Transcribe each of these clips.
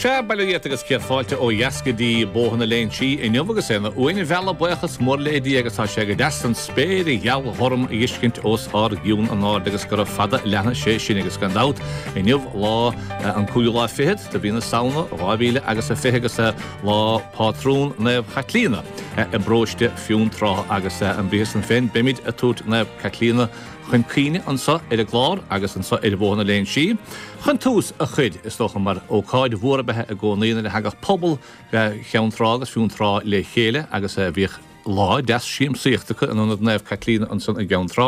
Sea, bail ó Dhia ort agus céad fáilte ó dheas go dtí Bóthar na Léinsí inniu agus é ina uain mheala buíochas mór le Dia agus tá sé go deas an spéir gheal ghorm a dh'fheiscint os ár gcionn in airde agus gura fada a leanfaidh sé sin agus gan dabht inniu lá an cúigiú lá fichead de mhí na Samhna 2000 agus a 20 agus lá pátrún Naomh Chaitlíona i bparóiste Fionntrá agus an briathar san féin beimid ag tabhairt Naomh Caitlíona chun cuimhne anso ar an gclár agus anso ar Bhóthar na Léinsí. Chun tús a chur, is dócha, mar ócáid mhór ab ea i gcónaí nuair a thagadh pobal Cheann Trá agus Fionntrá le chéile agus bhíodh lá deas siamsaíochta acu in Ionad Naomh Caitlíona ansan i gCeann Trá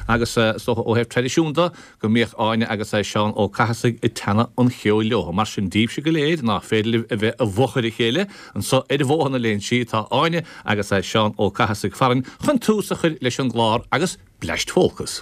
agus is dócha ó thaobh traidisiún de go mbíodh Áine agus Seán Ó Cathasaigh ag teannadh an cheoil leo. Mar sin díbhse go léir ná féidir libh a bheith i bhfochair a chéile anso ar Bhóthar na Léinsí tá Áine agus Seán Ó Cathasaigh farainn chun tús a chur leis an gclár agus Bleaist Phólcas.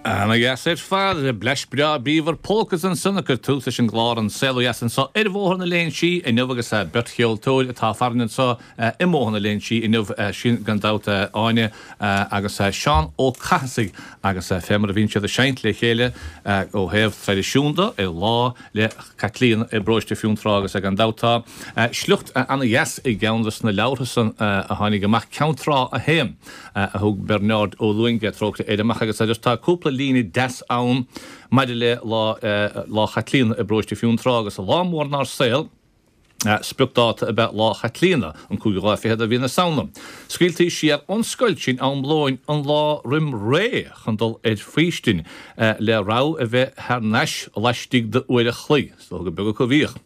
Ana dheas ar fad, bleaist breá bríomhar Polcas ansan ag cur tús leis an gclár An Saol Ó Dheas anso ar Bhóthar na Léinsí inniu agus beirt cheoltóir atá farainn anso i mBóthar na Léinsí inniu, sin gan dabht Áine agus Seán Ó Cathasaigh agus fé mar a bhíonn siad ag seinnt le chéile ó thaobh traidisiún de ar Lá 'le Caitlíona i bparóiste Fionntrá agus gan dabht tá sliocht ana-dheas i gceann de na leabhartha san a tháinig amach, Ceann Trá 1, a thug Bearnárd Ó Luainge, trócaire air, amach agus just tá cúpla líne deas ann maidir le Lá Lá Chaitlíona i bparóiste Fionntrá agus lá mór inár saol. Spriocdáta ab ea Lá Chaitlíona, an cúigiú lá fichead de mhí na Samhna. Scaoiltí siar ón scoil sinn am lóin an lá roim ré chun dul ar faoistin, le rogha a bheith thar n-ais laistigh d'uair a chloig. Is dócha gur beag acu a bhíodh.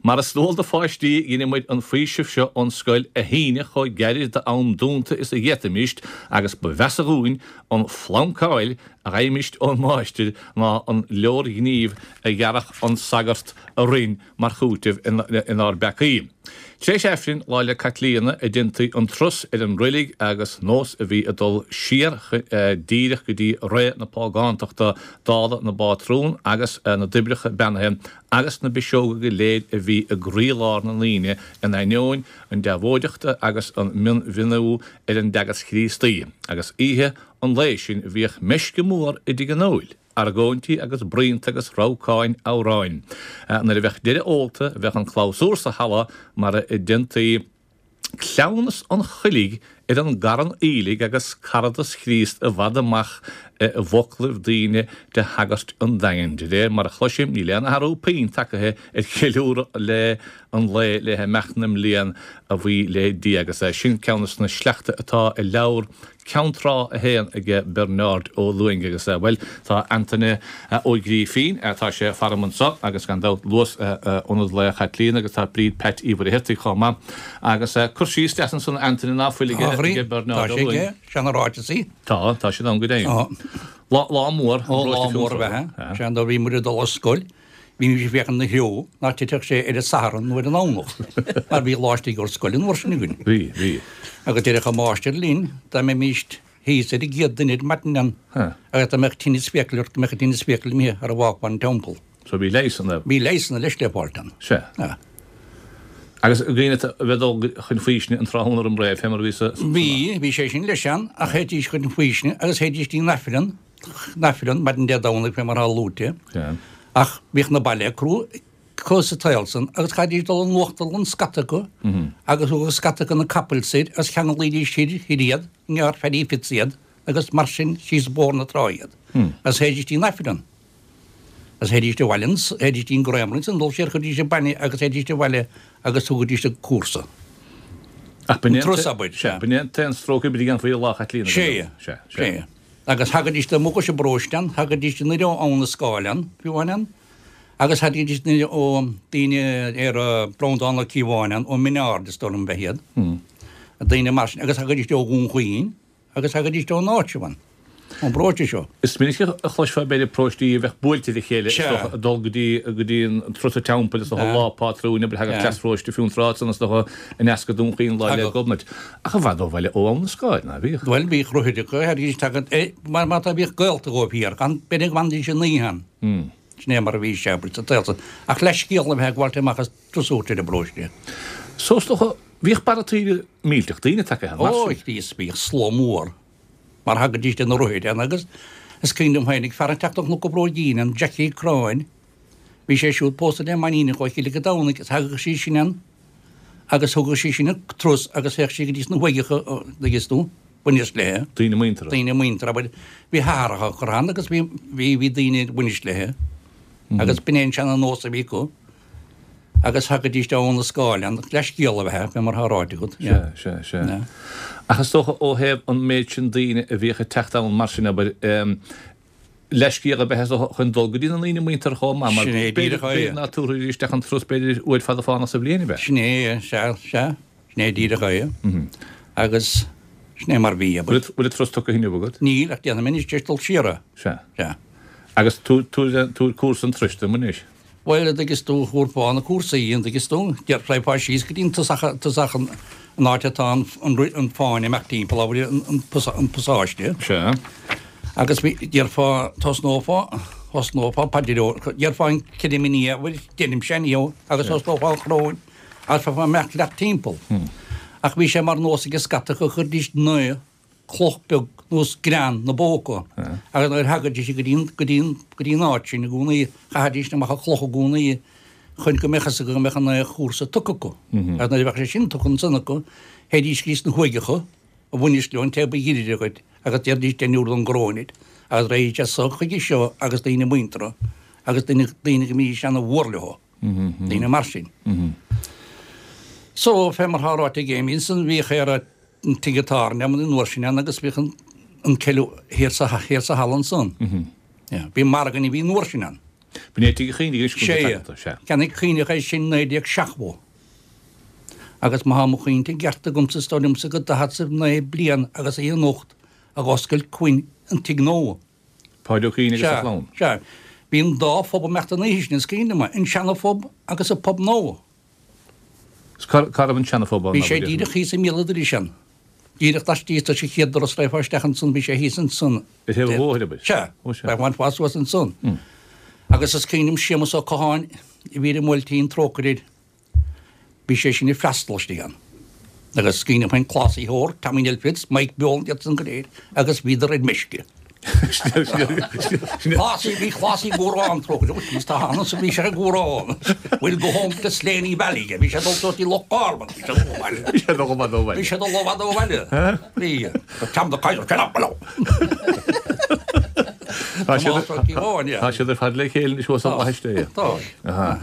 Mar is dual do pháistí, dheineadh muid an faoiseamh seo ón scoil a shíneadh chomh gairid d'am dúnta is a d'fhéadfaimíst agus ba mheasa dhúinn an phlancáil a fhaighimíst ón máistir ná an leorghníomh a ghearrfadh an sagart orainn mar chúiteamh inár bpeacaí. Tar éis Aifrinn Lá 'le Caitlíona a deintaí an turas ar an roilig agus nós a bhí ag dul siar díreach go dtí ré na págántachta dála na bpátrún agus na dtoibreacha beannaithe agus na bpiseoga go léir a bhí i gcroílár na ndaoine in ainneoin an deabhóideachta agus an mionmhiniú ar an dteagasc Chríostaí agus oíche an lae sin bhíodh meisce mór i dtigh an óil. Argóintí agus bruíonta agus rabhcáin amhráin. Nuair a bheadh deireadh ólta bheadh an clabhsúr sa halla mar a deintaí cleamhnas an choiligh ar an gcarn aoiligh agus caradas Chríost i bhfad amach i bhfoclaibh daoine de shagairt an Daingin. De réir mar a chloisim, níl aon athrú puinn tagaithe ar cheiliúradh le an lae le himeacht na mblian a bhuí le Dia agus sin ceann de na sleachta atá i leabhar Ceann Trá 1 aige Bearnárd Ó Lúing agus, bhuel, tá Antaine Ó Grífín, tá sé faram anso agus gan dabht Luas Ionad Lae Chaitlíona agus tá Bríd Peait Uí Mhuircheartaigh chomh maith agus cur síos deas ansan Antaine ná fuil aige Bearnárd Ó Lúing. Tá sé aige, seana-ráiteasaí. Tá, tá siad ann go deimhin. Lá, lá mór, Ó, lá mór ab ea é. Sea, nuair a bhí muid ag dul ar scoil, bhímis ag féachaint ina threo nach dtitfeadh sé ar an Satharn nó ar an nDomhnach, mar bhí lá istigh ar scoil an uair sin againn. Bhí, bhí. Agus déarfadh an máistir linn dá mbeimis thíos ar an gcéad duine ar maidin ann agus dá mbeadh tinneas fiacail ort go mbeadh an tinneas fiacail imithe sara bhfágfá an teampall. So bhí leigheasanna. Bhí leigheasanna leis le fáilt ann. Sea. Agus dhaoine a bheith dul chun faoisne an tráthnóna roim ré, fé mar a bhí sa. Bhí, bhí sé sin leis ann, ach théidís chun faoisne agus théidís dtí an Aifreann, an Aifreann, maidin Dé Domhnaigh fé mar atá luaite. Sea. Ach bhíodh na baile acu sa tsaol san agus chaithfidís dul an uachtarlann scata acu agus thugadh scata acu na capaill soir agus cheanglaídís thoir, thoir iad, i ngearr Phaddy Fitz iad agus mar sin síos Bóthar na Trá iad. Agus théidís dtí an Aifreann. Agus théidís abhaile ansan, théidís dtí an Gramerry ansan, dul siar chuirfidís an bainne agus théidís abhaile agus thugaidís an cúrsa. Ach b'in é an abair, sea. B'in é an t-aon stróic oibre a dhéanfaí ar Lá Chaitlíona. Sea, sea, sea. Agus thagaidís amuigh as an bparóiste ann, thagaidís anoir ó Abha na Scáil ann, fiú amháin ann, agus thagaidís anoir ó daoine ar Breandán Ó Cíobháin ann, ó Min Ard is dóigh liom ab ea iad, daoine mar sin, agus thagaidís ó Dhún Chaoin. Agus thagaidís ón áit seo, ón bparóiste seo. Is minic a chloisfeá b'fhéidir paróistí a bheadh buailte le chéile, is dócha, ag dul go dtí, go dtí an turas an teampaill, is dócha, lá pátrúin, abair, thagadh cleas pharóiste Fionntrá ansan, is dócha, aneas go Dún Chaoin Lá 'le Gobnait. Ach i bhfad ó bhaile ó Abha na Scáil, ná bhíodh? Bhuel, bhíodh rothair acu, thagaidís, tagad, eh, mar, mar tá, bhíodh gaolta dhóibh thiar, gan, b'fhéidir go bhfanfaidís an oíche ann. Sin é mar a bhí sé, abair, sa tsaol san. Ach leathscéal a bheith ag gabháilt amach as turas a thabhairt ar an bparóiste. So, is dócha, Bhíodh barra taoille millteach daoine tagtha ann mar sin. Ó, Chríost, bhíodh slua mór, mar thagaidís de na rothair ann agus is cuimhin liom féinig fear ag teacht ó Chnoc an Bhróigín ann, Jackie Cráin, bhí sé siúd pósta le m'iníon ó Chill Mhic an Domhnaigh agus thagadh sí sin ann agus thugadh sí sin an turas agus théadh sí go dtí sna huaigheacha, dtuigeann tú, bainis léi. Daoine muinteartha. Daoine muinteartha, abair, bhí hathracha curtha ann agus bhí, bhí, bhí daoine ar bainis léi agus b'in é an seana-nós a bhí acu. Agus thagaidís ó Abha na Scáil ann, leathscéal a bheith ea, fé mar atá ráite agat. Sea, sea, sea. Ach is dócha ó thaobh an méid sin daoine a bhíodh ag teacht ann mar sin, abair, leathscéal ab ea is dócha chun dul go dtí na ndaoine muinteartha chomh maith, mar Sin é b'fhéidir, díreach é. b'fhéidir ná tabharfaidís isteach an turas b'fhéidir uair fada fánach sa bhliain, ab ea? Sin é, sea, sea. Sin é díreach é. Agus sin é mar bhí, abair. Bhfuil an turas tugtha inniu agat? Níl, ach déanfaidh mé anois tar éis dul siar é. Sea. Sea. Agus tabhair cúrsa an turais dom anois. Bhuel, an dtuigeann tú, thabharfá na cúrsaí, an dtuigeann tú, raghfá síos go dtí an tosach, tosach an, an áit atá an, an, an fáinne amach timpeall, abair, an, an, an pasáiste. Sea. Agus bhí, déarfá, thosnófá, thosnófá paidir, déarfá an Creidim i nDia, bhuel, deirimse inniu, agus thosnófá an choróin, agus bheifeá ag imeacht leat timpeall. Ach bhí sé mar nós ag scata go gcuiridís naoi cloch beag nós grean 'na bpóca agus nuair a thagaidís go dtí go dtí go dtí an áit sin i gcónaí chaithidís amach an chloch i gcónaí chun go mbeadh fhios acu go mbeadh an naoi chúrsa tugtha acu. Agus nuair a bheadh sé sin tugtha ansan acu théidís go dtí sna huaigheacha a bhainis leo an té ba ghiorra dhuit agus déarfaidís deichniúr don gcoróin iad agus raghaidís as so chuige seo agus daoine muinteartha agus daoine daoine go mbídís ana mhór leo. Daoine mar sin. So fé mar atá ráite ag Amy ansan bhíodh ar an tigh tábhairne an uair sin ann agus bhíodh an ceiliúradh thiar sa thiar sa halla ansan. Yeah. Bhí margadh a bhí an uair sin ann. B'in é tigh Uí Chaoinnigh anois go Sea. Cheannaigh Caoineach é sin 1970. Agus má tá mo chuimhne i gceart agamsa is dóigh liomsa go 49 bliain agus a anocht a dh'oscail Quinn an tigh nua. Páid Ó Caoinnigh agus a chlann. Sea. Bhí an dá phub ag imeacht an oíche sin is cuimhin liom, an seana phub agus an pub nua. Cá raibh an seana-phub ann? Bhí sé díreach thíos i mbéal an dorais ann. Díreach laistíos de sa chéad doras raghfá isteach ansan, bhí sé thíos ansan. Ar thaobh an bhóthair, abair? Sea. Ó sea. Bhainfeá suas ansan. Agus is cuimhin liom Séamus Ó Catháin a bhí ar an mBuailtín, trócaire air, bhí sé sin ag freastal istigh ann. Agus is cuimhin liom féin Clásaí Thoir, Tommy Neill Fitz, Mike Beoland, iad san go léir, agus bhíodar ar meisce. Clásaí, bhí clásaí gúrán trócaire, ó jeez, tá ann, bhí sé ag gúrán. We'll go home to Slaney Valley, bhí sé dul suas dtí Loch Garman, bhí sé dul ó bhaile. Bhí sé dul ó bhaile. Bhí sé dul ó bhaile ó bhaile. Bhí. Tom the Kaiser, shut up below. Tá siad ar fad le chéile anois thuas sa Fhlaithis. Tá.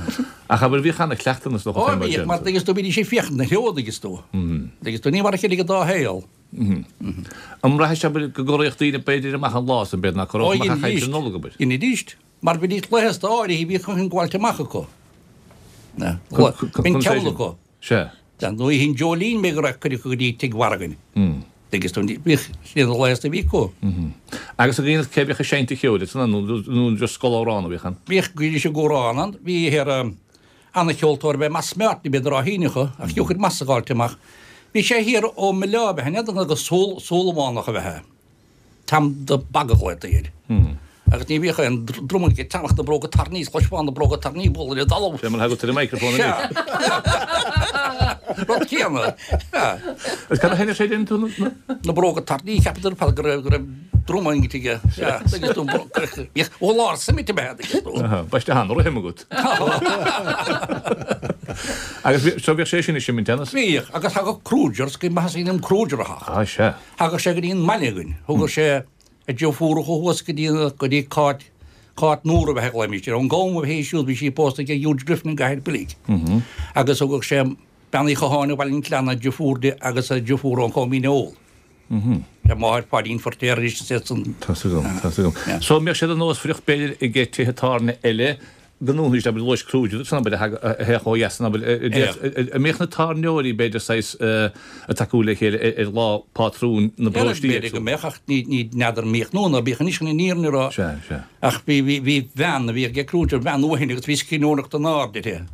Ach abair bhíodh ana-chleachtadh na Ó bhíodh, mar tuigeann tú, bhídís ag féachaint na threo tuigeann tú. Tuigeann tú, ní mar a chéile ag an dá shaol. An mbraithis abair go gcorraíodh daoine b'fhéidir amach an lá san b'fhéidir ná corródh amach ach aimsir Nollag abair. Dheinidís, mar bhídís leigheasta áirithe bhíodh an gabháilt amach acu. Bíonn ceol acu. Sea. Dar ndóigh an Dreoilín b'fhéidir go raibh cuid acu go dtí Tigh Mhargain. Tuigeann tú, bhíodh siad na leigheasta a bhí acu. Agus an gcéanna cé bhíodh ag seinnt an cheoil ansan nó just scoil amhrán a bhíodh ann? Bhíodh go dtí seo amhrán ann, bhí ar Ana-cheoltóir ab ea Moss Martin, b'fhéidir á shíneadh, ach thiocfadh Moss a ghabháilt amach. Bhí sé thiar ó Mhilleá ab ea, n'fheadar an go Súilleabhánach ab ea é. Tom the Bog a ghlaotaí air. Agus ní bhíodh aon drum aige, teannach na bróga tairní, is chloisfeá na bróga tairní ag bualadh ar an dtalamh. Sé mar a thagadh tú ar an microphone anois. Sea. Rud céanna. Sea. Agus cad a sheinneadh sé déanann tú na. Na bróga tairní, cheapadar ar fad go raibh, go raibh drum aige. Sea. Tuigeann tú, bhíodh ó lár suimite ab ea, tuigeann tú. Baiste an-rithim agat. Agus bhí, so bhíodh sé sin ag seimint ann? Bhíodh, agus thagadh Kruger, is cuimhin liom Kruger a theacht. Ah, sea. Thagadh sé go dtí an mbaile againn, thugadh sé a deirfiúracha thuas go dtí, go dtí Cáit, Cáit Nóra a bheith ag glaoimís air, ón gCom a bhí siúd, bhí sí pósta ag Huge Griffin i gCathair Pilig. Agus thugadh sé Bean Uí Chatháin ó Bhaile an tSleanna, deirfiúr di agus a deirfiúr ón Chóimín Óil. Le máthair Pháidín Feirtéar arís is iad san. Tá's agam, tá's agam. So an mbeadh sé de nósmhaireacht b'fhéidir ag tithe tábhairne eile go ndúnfaidís abair luais Kruger san abair a théadh ó dheas san abair an mbeadh na tábhairneoirí b'fhéidir saghas ag tacú le chéile ar lá pátrúin na bparóistí B'fhéidir go mbeadh ach ní n'fheadar an mbíodh nó ná bíodh anois chun an fhírinne a rá. Sea, sea. Ach bhí bhí bhí bean a bhí ag Kruger bean uaithne agus bhí scríbhneoireacht an-ard uirthi.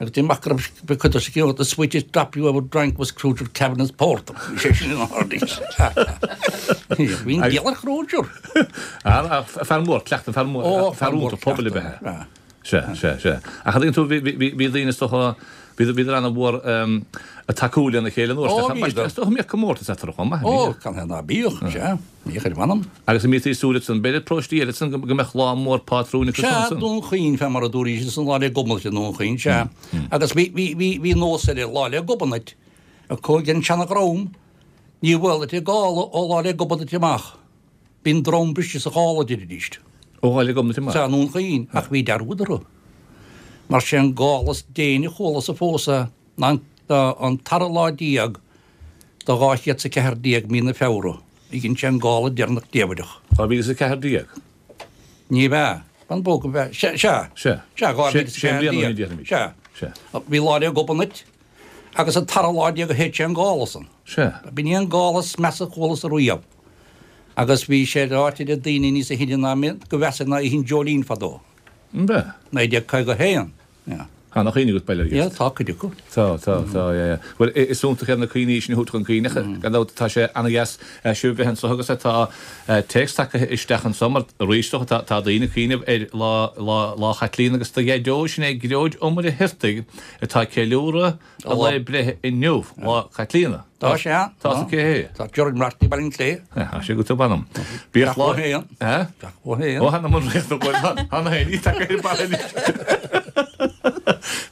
Agus deir mac go raibh cuid de scéal The sweetest drop you ever drank was Kruger Kavanagh's Porter. Bhí sé sin ina ard. Bhí an diabhal ar Kruger. Fear mór cleachta, fear mór, fear iontach pobail ab ea é. Sea, sea, sea. Ach an dtuigeann tú, bhí daoine is dócha, bhíodar an-mhór ag tacú lena chéile an uair sin. Is dócha go mbíodh comórtas eatarthu chomh maith. Ó, cad é ná bíodh, sea. Bhíodh ar mh'anam. Agus an mbítí ag súil ansan, b'fhéidir paróistí eile ansan go mbeadh lá mór pátrúin acu Sea, ansan. Dún Chaoin, fé mar a dúraís ansan, Lá 'le Gobnait i nDún Chaoin, sea. Agus bhí, bhí, bhí, bhí nós eile, Lá 'le Gobnait, acu ag an seana-dhream, ní bhuailtí gála ó Lá 'le Gobnait amach. Bíonn drom briste sa ghála, deiridíst. Ó Lá 'le Gobnait amach? Sea, i nDún Chaoin, ach bhí dearúd orthu. Mar sé an gála is déine a chualasa fós é ná an tara lá de 214 mí na Feabhra. A dhein sé an gála deireanach diamhaireach. 2014? Ní bhea. Fan bog an bhea. Sea. Sea. Sea, 2014. Sea. Sea. Bhí Lá 'le Gobnait agus an tara lá a shéid sé an gála san. Sea. B'in í an gála is measa a chualas ariamh. Agus bhí sé ráite le daoine níosa shine ná mé go mheasa ná Oíche an Dreoilín fadó. An bea? 1951. Tá ana chuimhne agat bail ó Dhia Yeah, tá cuid acu. Tá, tá, tá, yeah, yeah. Bhuel, is iontach iad na cuimhní sin a thabhairt chun cuimhne, gan dabht tá sé ana-dheas sibh a bheith anseo agus tá téacs tagtha isteach anseo mar arís tá, tá daoine ag cuimhneamh ar lá, lá, Lá Chaitlíona agus do Dhaideo, sin é Gearóid Ó Muircheartaigh atá ag ceiliúradh a lae breithe inniu, Lá Chaitlíona. Tá sé ann. Tá sa cé hé? Tá Gerard Marty Baile an Chlé. Tá sé go tub anam. Bíodh lá. Teach Ó Teach Ó hÉan. Ó hAnam an Ríocht go Hana Héin. Ní taca ar baile anois.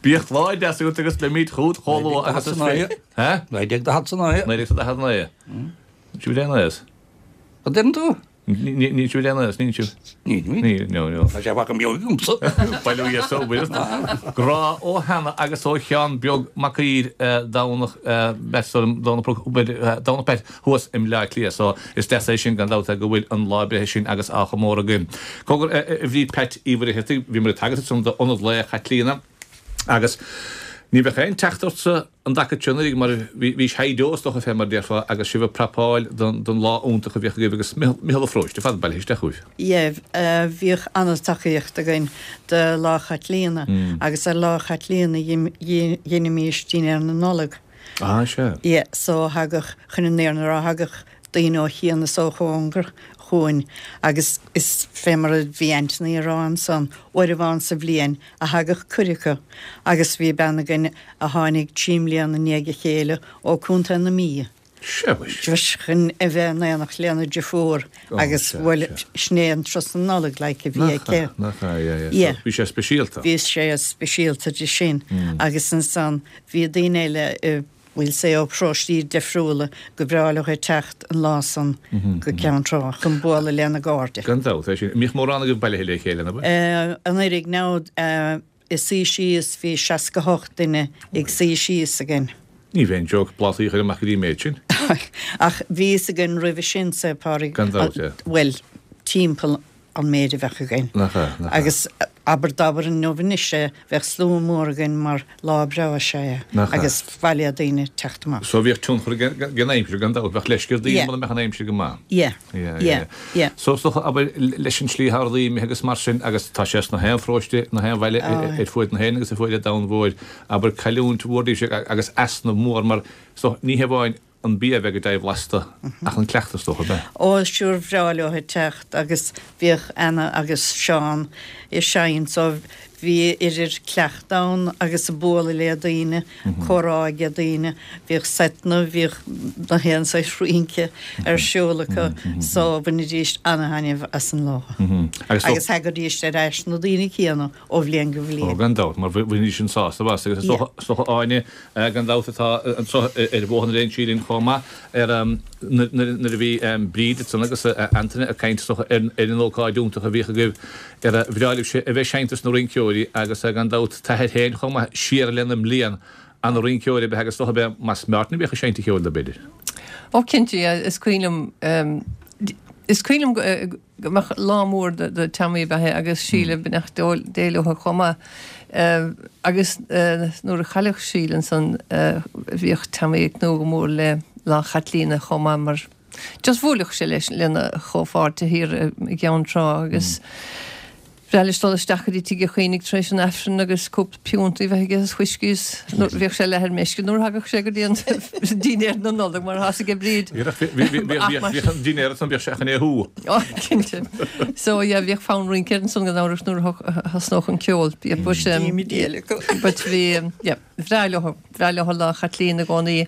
Bíodh lá deas agat agus beimid chugat chomh luath agus is féidir. 1949. 1949. Sibh le aon An deireann tú? Níl sibh ar aon aos, níl sibh? Níl, níl. Níl, no, no. Tá sé fágtha beo agamsa. Bail ó Dhia so, bhfuil. Grá ó Hannah agus ó Sheán Beag Mac Uidhir, Domhnach Beit, Domhnach Domhnach Beit thuas i mBleá Cliath. So, is deas é sin gan dabht go bhfuil an lá breithe sin agus á chomóradh againn. Cogar, a Bhríd Peait Uí Mhuircheartaigh, bhíomar ag tagairt ansan d'Ionad Lae Chaitlíona agus ní bheadh aon teacht ortsa an dtaca seo anuraidh mar bhís high-deo is dócha fé mar a déarfá agus sibh ag prapáil don lá iontach a bhíodh agaibh agus Micheál Ó Fróiste ar fad bailithe isteach chugaibh. Yeah, bhíodh an-tacaíocht againn do Lá Chaitlíona agus ar Lá Chaitlíona dheinimís dinnéar na Nollag. Ah, sea. Yeah, so thagadh, chun an fhírinne a rá, thagadh daoine ó chian is ó chóngar chugainn agus is fé mar a bhí Anthony a rá ansan, uair amháin sa bhliain a thagadh cuid acu agus bhí bean againn a tháinig trí mbliana i ndiaidh a chéile ó Contae na Mí. Sea, mhuis. Just chun a bheith in éineacht lena deirfiúr agus bhuel sin é an turas na Nollag like a bhí aici. Nach ea, yeah, yeah. Yeah. So bhí sé speisialta. Bhí sé speisialta di sin agus ansan bhí daoine eile i we'll say ó paróistí difriúla gur bhreá leo teacht an lá san go Ceann Trá chun bualadh lena gcairde. Gan dabht, é sin. Mbíodh mórán agaibh bailithe le chéile, nó bhfuil? Anuraidh now ag suí síos bhí 68 duine ag suí síos againn. Ní bheinn joke plátaí a chur amach go dtí an méid sin. Ach bhí fhios againn roimhe sin, a Phádraig, Gan dabht, yeah. bhuel, timpeall an méid a bheadh againn. Nach ea, nach ea. Agus abair d'abair inniu anois é, bheadh slua mór againn mar lá breá is ea é. Nach ea. Agus ba mhaith le daoine teacht amach. So bhíodh tionchar ag an aimsir, gan dabht, bheadh leisce ar daoine Yeah. mura mbeadh an aimsir go maith. Yeah. Yeah, Yeah, yeah. So is dócha, abair, leis an tslí atá rudaí imithe agus mar sin, agus tá sé sna haon pharóiste, na haon bhaile ar fuaid na hÉireann agus ar fuaid an domhain mhóir, abair, cailliúint mhór daoibhse agus easnamh mór mar, is dócha, ní hamháin an bia a bheith go dea-bhlasta ach an cleachtas, is dócha, ab ea? Ó, sure, bhreá leo ag teacht agus bhíodh Anna agus Seán ag seinnt so Bhí idir cleachtadh ann agus ag bualadh le daoine, comhrá age daoine, bhíodh seiteanna, bhíodh na haon saghas rince ar siúl acu so bhainidís ana-thaitneamh as an lá. Agus thagaidís ar ais na daoine céanna ó bhliain go bhliain. Ó gan dabht, mar bhainidís an sásamh as. Agus is dócha Áine, gan dabht atá anseo ar Bhóthar na Léinsí linn chomh maith, ar nuair a bhí Bríd ansan agus Antaine ag caint is dócha ar an ócáid iontach a bhíodh agaibh Ar bhreá libhse a bheith ag seinnt dos na rinceoirí agus gan dabht t'athair féin chomh maith siar lena mbliain, ana rinceoir ab ea agus is dócha ab é Moss Martin a bhíodh ag seinnt an cheoil dó b'fhéidir. Ó cinnte, yeah, is cuimhin liom, is cuimhin liom go mbeadh lá mór do Tommy ab ea é agus Síle beannacht Dé leo chomh maith. Agus nuair a chailleadh Síle ansan bhíodh Tommy ag tnúth go mór le Lá Chaitlíona chomh maith mar Just bhuailfeadh sé leis lena chomhpháirtithe thiar i gCeann Trá agus bhreá leis dul isteach go dtí Tigh Uí Chaonaigh tar éis an Aifrinn agus cúpla piúnta a bheith aige is fuiscí is bhíodh sé leath ar meisce nuair a thagadh sé go dtí an dinnéar na Nollag mar atá aige Bríd. Bhíodh an dinnéar ansan bhíodh sé chun é a shú. Ó cinnte. So yeah bhíodh fonn rince air ansan gan amhras nuair a thosnódh an ceol. But bhí yeah. Bhreá leo, bhreá leo Lá Chaitlíona i gcónaí.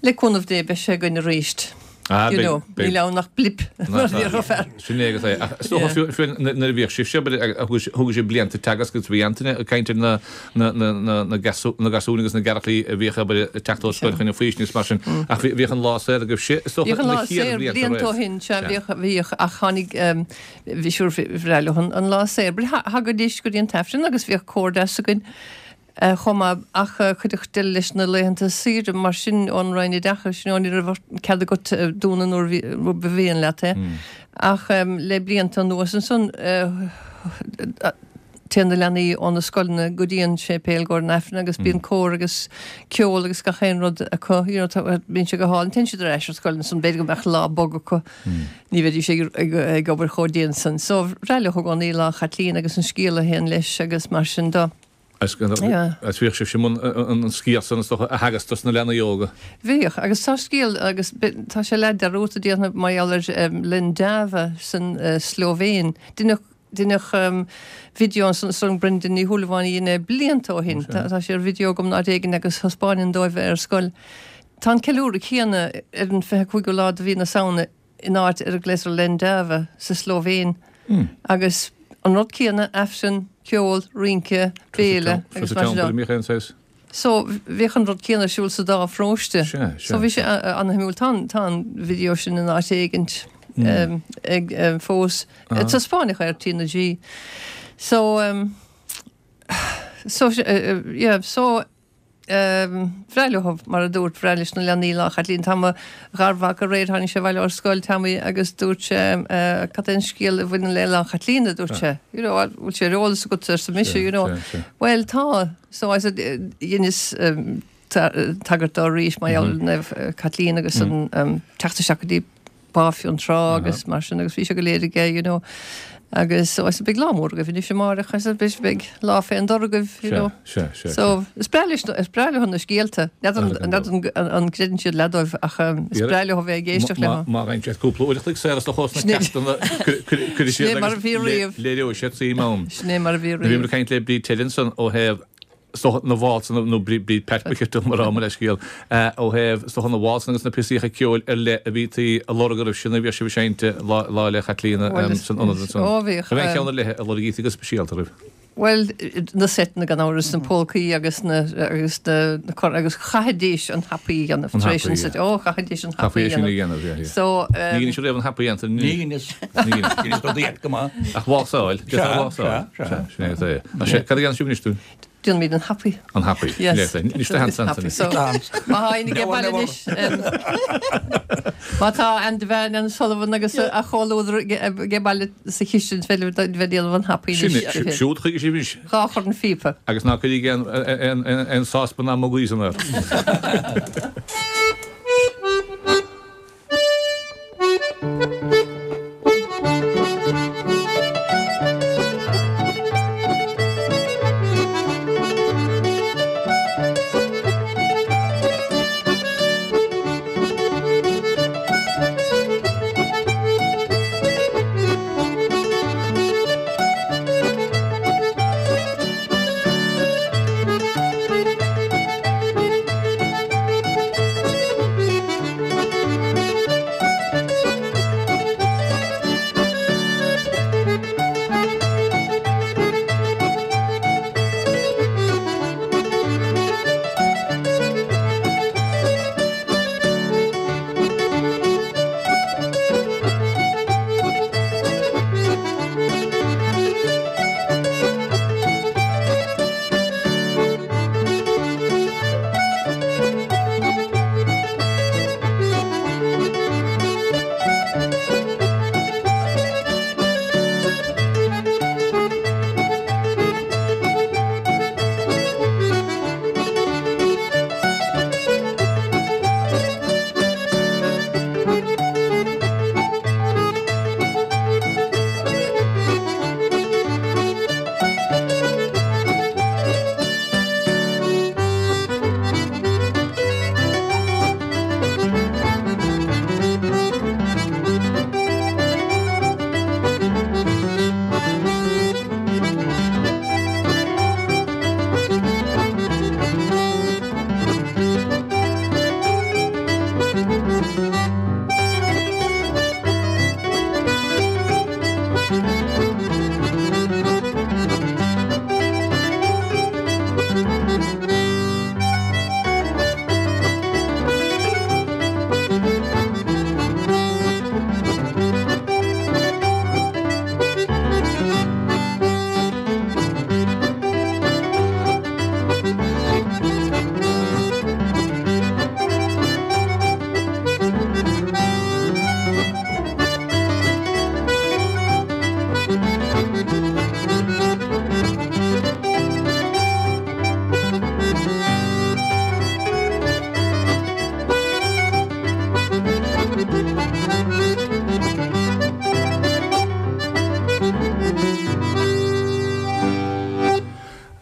Le cúnamh Dé beidh sé againn arís. Ah, You beidh, know, beidh. níl ann ach blip, mar a déarfadh fear. Sin é agus é. Ach is dócha fiú, fiú nuair a bhíodh sibhse, thug thug sibh blianta teagasc agus bhí Antaine ag caint ar na, na, na, na, na gasú, na gasúir agus na gearrchailí a bhíodh abair ag teacht ó scoil chun an faoistin agus mar sin. Ach bhí, bhíodh an lá saor agaibhse, is dócha Bhíodh an na lá chéad saor bhlianta blianta ó roimh. shin, sea, Sea. bhíodh, bhíodh, ach tháinig, bhí, sure, bhreá leo an, an lá saor. But thagaidís go dtí an t-Aifreann agus bhíodh comhghairdeas againn. chomh maith ach cuireadh deireadh leis na laethanta saoire mar sin ón Roinn Oideachais, you know, ní raibh cead agat dúnadh nuair a ba mhian leat é. Ach le blianta anuas ansan téann na leanaí ó na scoileanna go dtí an séipéal i gcomhair an Aifrinn agus bíonn cór agus ceol agus gach aon rud acu, you know, bíonn sé go hálainn. Téann siad ar ais ar scoil ansan, b'fhéidir go mbeadh lá bog acu, ní bheidís ag obair chomh dian san. So bhreá leo i gcónaí Lá Chaitlín agus an scéal a théann leis agus mar sin de. Agus bhíodh sibhse i mbun an scéal san is dócha a theagasc dos na leanaí óga. Bhíodh, agus tá scéal, agus tá sé leath dearúdta déarfainn mar gheall ar Lendava san Slóivéin. Deineadh, deineadh video ansan is dóigh liom Brendan Ní Shúilleabháin a dhein é blianta ó shin. Tá sé ar video agam in áit éigin agus thaispeánainn dóibh é ar scoil. Tá an ceiliúradh céanna ar an 25ú lá de mhí na Samhna in áit ar a nglaotar Lendava sa Slóivéin agus an rud céanna, Aifreann, ceol, rince, béile agus mar sin de. So bhíodh an rud céanna ar siúl sa dá pharóiste. So bhí sé an-shuimiúil. Tá an, tá an video sin in áit éigint ag fós. Taispeánadh ar T na G. So, so, yeah, so. Bhreá leo, mar a dúirt, bhreá leis na leanaí Lá Chaitlín. Tá mo gharmhac aréir, tháinig sé abhaile ó scoil, Tommy, agus dúirt sé, cad é an scéal a bhaineann le Lá Chaitlín, a dúirt sé. You know, bhfuil sé ar eolas agat, arsa mise, you know. Bhuel, tá. So I said, dheineas tagairt dó arís mar gheall ar Naomh Caitlín agus an teacht isteach go dtí Bá Fionntrá agus mar sin agus bhí sé go léir aige you know agus so I said beidh lá mór agaibh anois amáireach I said beidh beidh lá fé an dtor agaibh you know Sea, sea, sea. so is breá leis is breá leo na scéalta n'fheadar n'fheadar an an gcreideann siad leath dóibh ach is breá leo a bheith ag éisteacht leo. Má bhíonn siad cúpla uair a chloig saor is do chós na ceachtanna cuirfidh Sin é siad mar a agus bhí riamh. léireoidh siad suim ann. Sin é mar a bhí Bhíomar riamh. ag caint le Bríd Teileann ansan ó thaobh. Is dócha na válsanna, nó Bríd Pat ba cheart dom a rá, mo leithscéal, ó thaobh, is dócha na válsanna agus na píosaíocha ceoil ar leith a bhítí a lorg oraibh sin a bhíodh sibh ag seinnt Lá 'le Caitlíona san ionad ansan. Ó bhíodh. An raibh aon cheann ar leith a lorgaítí go speisialta oraibh? Bhuel, na seiteanna gan amhras, na polcaí agus na, agus na, na cor, agus chaithfidís an happy a dhéanamh tar éis an seit, ó chaithfidís an happy a dhéanamh. Yeah, yeah. So, Ní dheineas riamh an happy dhéanta. Ní dheineas. Ní dheineas. Dheineas rudaí eile go maith. Ach válsáil. Sea, sea, sea. Sin é atá é. Ach sé, cad a dhéanann sibh anois dúinn? Déanaimid an happy. An happy. Yes. Sin é atá é. Anois do sheans Anthony. So, má tá éinne ag baile anois, má tá Anne Devane, Anne Sullivan agus a chomhluadar ag baile sa chistin féidir bheith ag déanamh an happy anois. Sin é, siúd chuige sibh anois. Dhá chorn phíopa. Agus ná cuirígí aon sáspan ná mugaí san air.